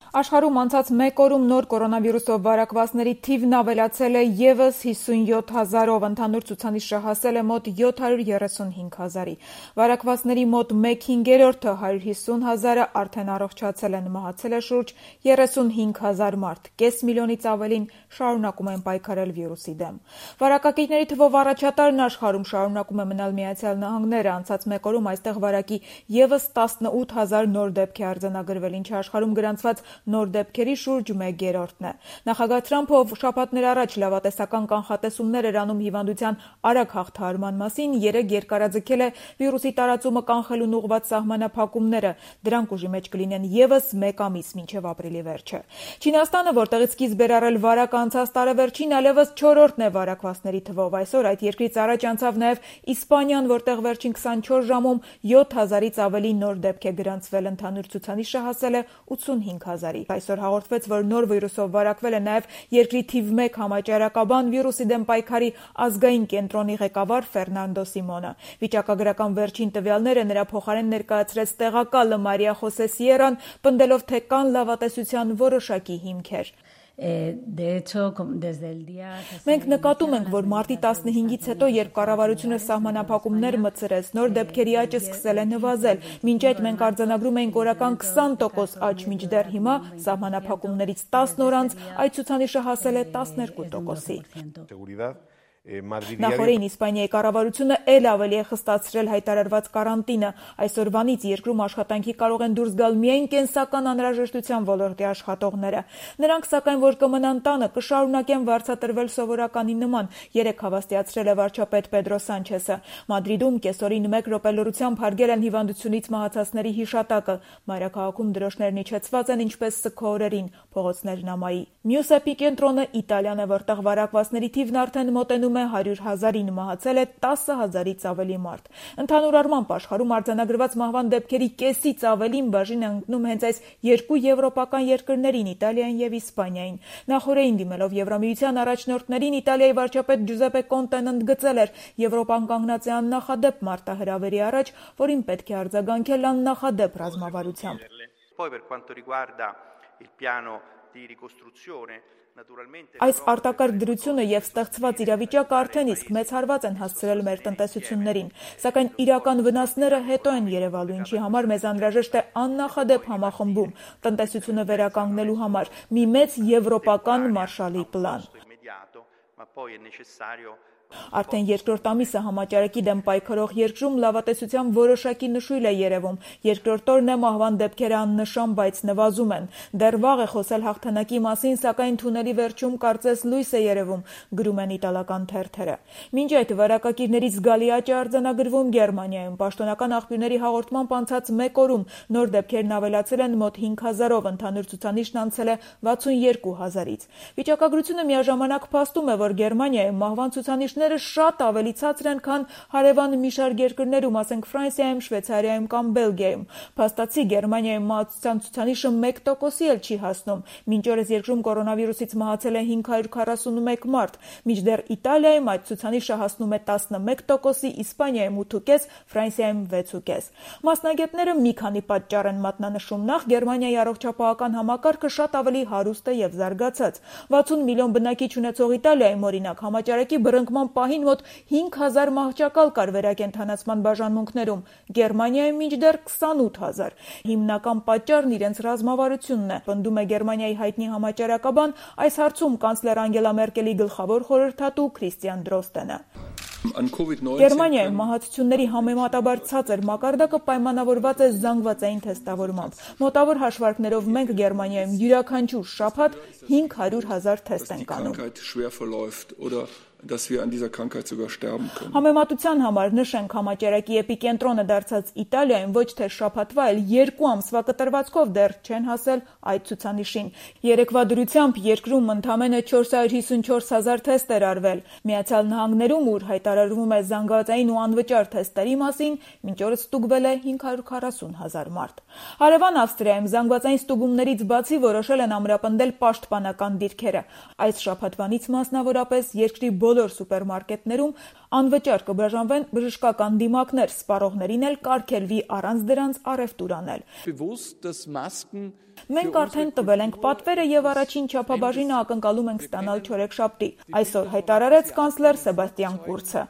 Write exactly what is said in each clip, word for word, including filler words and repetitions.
Աշխարհում անցած մեկ օրում նոր կորոնավիրուսով վարակվածների թիվն ավելացել է ևս հիսունյոթ հազարով, ընդհանուր ցուցանիշը հասել է մոտ յոթ հարյուր երեսունհինգ հազարի։ Վարակվածների մոտ մեկ հինգերորդը հարյուր հիսուն հազարը արդեն առողջացել են, մահացել է շուրջ երեսունհինգ հազար մարդ, կես միլիոնից ավելին շարունակում են պայքարել վիրուսի դեմ։ Վարակակիրների թվով առաջատարն աշխարհում շարունակում է մնալ Միացյալ Նահանգները, անցած մեկ օրում այստեղ վարակի ևս տասնութ հազար նոր դեպք է արձանագրվել, ինչը աշխարհում գրանցված նոր դեպքերի շուրջ մեկերորդն է։ Նախագահ Թրամփը շաբաթներ առաջ լավատեսական կանխատեսումներ էր անում հիվանդության արագ հաղթահարման մասին, երեկ երկարաձգել է վիրուսի տարածումը կանխելուն ուղղված սահմանափակումները, դրանք ուժի մեջ կլինեն ևս մեկ ամիս մինչև ապրիլի վերջը։ Չինաստանը, որտեղից սկիզբ էր առել վարակը անցած տարեվերջին, այլևս չորրորդն է վարակվածների թվով, այսօր այդ երկրից առաջ անցավ նաև Իսպանիան, որտեղ վերջին քսանչորս ժամում յոթ հազարից ավելի նոր դեպք է գրանցվել, ընդհանուր ցուցանիշը հասել է ութսունհինգ հազարի։ Այսօր հաղորդվեց, որ նոր վիրուսով վարակվել է նաև երկրի թիվ մեկ համաճարակաբան վիրուսի դեմ պայքարի ազգային կենտրոնի ղեկավար Ֆերնանդո Սիմոնը։ Վիճակագրական վերջին տվյալները նրա փոխարեն ներկայացրեց տեղակալը Մարիա Խոսե Սիերան, պնդելով, թե կան լավատեսության որոշակի հիմքեր։ Մենք նկատում ենք, որ մարտի տասնհինգից հետո, երբ կառավարությունը սահմանափակումներ մտցրեց, նոր դեպքերի աճը սկսել է նվազել։ Մինչ այդ մենք արձանագրում էինք օրական քսան տոկոս աճ, մինչդեռ հիմա սահմանափակումներից տասն օր անց այդ ցուցանիշը հասել է տասներկու տոկոսի։ Նախորդին Իսպանիայի կառավարությունը ել ավելի է խստացրել հայտարարված կարանտինը։ Այսօրվանից երկրում աշխատանքի կարող են դուրս գալ միայն կենսական անհրաժեշտության ոլորտի աշխատողները։ Նրանք, սակայն, որ կմնան տանը, կշարունակեն վարձատրվել սովորականի նման, երեկ հավաստիացրել է վարչապետ Պեդրո Սանչեսը։ Մադրիդում կեսօրին մեկ րոպե լռությամբ հարգել են հիվանդությունից մահացածների հիշատակը։ Մայրաքաղաքում դրոշներն իջեցված են ինչպես սգո օրերին, փողոցներն ամայի։ Մյուս էպիկենտրոնը Իտալիան է, որտեղ վարակվածների թիվն արդեն մոտենում է հարյուր հազարին, մահացել է տասը հազարից ավելի մարդ։ Ընդհանուր առմամբ աշխարհում արձանագրված մահվան դեպքերի կեսից ավելին բաժին է ընկնում հենց այս երկու եվրոպական երկրներին՝ Իտալիային եւ Իսպանիային։ Նախորդին դիմելով Եվրամիության առաջնորդներին, Իտալիայի վարչապետ Ջուզեպե Կոնտեն ընդգծել էր, Եվրոպան կանգնած է աննախադեպ մարտահրավերի առաջ, որին պետք է արձագանքել աննախադեպ ռազմավարությամբ։ Այս արտակարգ դրությունը եւ ստեղծված իրավիճակը արդեն իսկ մեծ հարված են հասցրել մեր տնտեսություններին, սակայն իրական վնասները հետո են երևալու, ինչի համար մեզ անհրաժեշտ է աննախադեպ համախմբում, տնտեսությունը վերականգնելու համար մի մեծ եվրոպական Մարշալի պլան։ Արդեն երկրորդ ամիսը համաճարակի դեմ պայքարող երկրում լավատեսության որոշակի նշույլ է երևում։ Երկրորդ օրն է մահվան դեպքերը աննշան, բայց նվազում են։ Դեռ վաղ է խոսել հաղթանակի մասին, սակայն թունելի վերջում կարծես լույս է երևում, գրում են իտալական թերթերը։ Մինչ այդ վարակակիրներից զգալի աճ է արձանագրվում Գերմանիայում։ Պաշտոնական աղբյուրների հաղորդմամբ անցած մեկ օրում նոր դեպքերն ավելացել են մոտ հինգ հազարով, ընդհանուր ցուցանիշն անցել է վաթսունյերկու հազարից։ Վիճակագրությունը միաժամանակ փաստում է, որ Գերմանիայում մահվան ցուցանիշ շատ ավելի ցածր են, քան հարևան մի շարք երկրներում, ասենք Ֆրանսիայում, Շվեյցարիայում կամ Բելգիայում։ Փաստացի Գերմանիայում մահացության ցուցանիշը մեկ տոկոսի էլ չի հասնում։ Մինչ օրս երկրում կորոնավիրուսից մահացել է հինգ հարյուր քառասունմեկ մարդ, մինչդեռ Իտալիայում այդ ցուցանիշը հասնում է տասնմեկ տոկոսի, Իսպանիայում ութ կես, Ֆրանսիայում վեց կես։ Մասնագետները մի քանի պատճառ են մատնանշում։ Նախ, Գերմանիայի առողջապահական համակարգը շատ ավելի հարուստ է եւ զարգացած։ վաթսուն միլիոն բնակիչ ունեցող Իտալիայում, օրինակ, համաճարակի բռնկման պահին մոտ հինգ հազար մահճակալ կար վերակենդանացման բաժանմունքներում, Գերմանիայում մինչդեռ քսանութ հազար։ Հիմնական պատճառն իրենց ռազմավարությունն է, պնդում է Գերմանիայի հայտնի համաճարակաբան, այս հարցում կանցլեր Անգելա Մերկելի գլխավոր խորհրդատու Քրիստիան Դրոստենը։ Գերմանիայում մահացությունների համեմատաբար ցածր մակարդակը պայմանավորված է զանգվածային թեստավորմամբ։ Մոտավոր հաշվարկներով մենք Գերմանիայում յուրաքանչյուր շաբաթ հինգ հարյուր հազար թեստ ենք անում։ dass wir an dieser Krankheit sogar sterben können. Համեմատության համար նշենք համաճարակի էպիկենտրոնը դարձած Իտալիայում ոչ թե շաբաթվա, այլ երկու ամսվա կտրվածքով դեռ չեն հասել այդ ցուցանիշին։ Երեկվա դրությամբ երկրում ընդամենը չորս հարյուր հիսունչորս հազար թեստ էր արվել։ Միացյալ Նահանգներում, ուր հայտարարվում է զանգվածային ու անվճար թեստերի մասին, մինչ օրս ստուգվել է հինգ հարյուր քառասուն հազար մարդ։ Հարևան Ավստրիայում զանգվածային ստուգումներից բացի որոշել են ամրապնդել պաշտպանական դիրքերը։ Այս շաբաթվանից մասնավորապես երկրի բոլոր սուպերմարկետներում անվճար կբաժանվեն բժշկական դիմակներ, սպառողներին էլ կարգելվի առանց դրանց առևտուր անել։ Մենք արդեն տվել ենք պատվերը եւ առաջին չափաբաժինը ակնկալում ենք ստանալ չորեքշաբթի, այսօր հայտարարեց կանցլեր Սեբաստիան Կուրցը։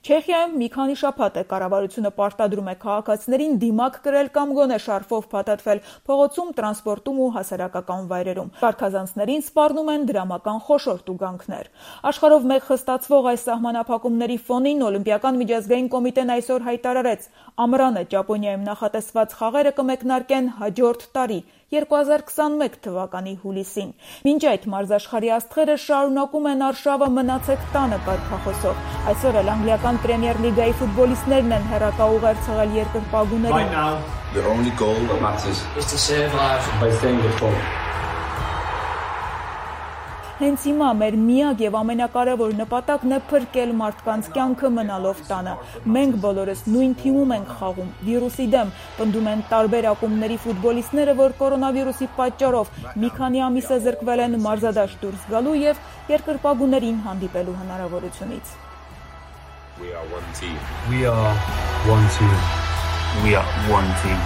Չեխիայում մի քանի շաբաթ է կառավարությունը պարտադրում է քաղաքացիներին դիմակ կրել կամ գոնե շարֆով փաթաթվել փողոցում, տրանսպորտում ու հասարակական վայրերում։ Կարգազանցներին սպառնում են դրամական խոշոր տուգանքներ։ Աշխարհով մեկ խստացվող այս սահմանափակումների ֆոնին Օլիմպիական միջազգային կոմիտեն այսօր հայտարարեց, ամռանը Ճապոնիայում նախատեսված խաղերը կմեկնարկեն հաջորդ տարի երկու հազար քսանմեկ թվականի հուլիսին։ Մինչ այդ մարզաշխարհի աստղերը շարունակում են արշավը մնացեք տանը կարգախոսով։ Այսօր էլ անգլիական Պրեմիեր լիգայի ֆուտբոլիստներն են հեռակաուղեր ցղել երկրպագուներին։ Հենց հիմա մեր միակ եւ ամենակարևոր նպատակն է փրկել մարդկանց կյանքը մնալով տանը։ Մենք բոլորս նույն թիմում ենք խաղում, վիրուսի դեմ, պնդում են տարբեր ակումբների ֆուտբոլիստները, որ կորոնավիրուսի պատճառով մի քանի ամիս է զրկվել են մարզադաշտ դուրս գալու եւ երկրպագուներին հանդիպելու հնարավորությունից։ We are one team. We are one team. We are one team.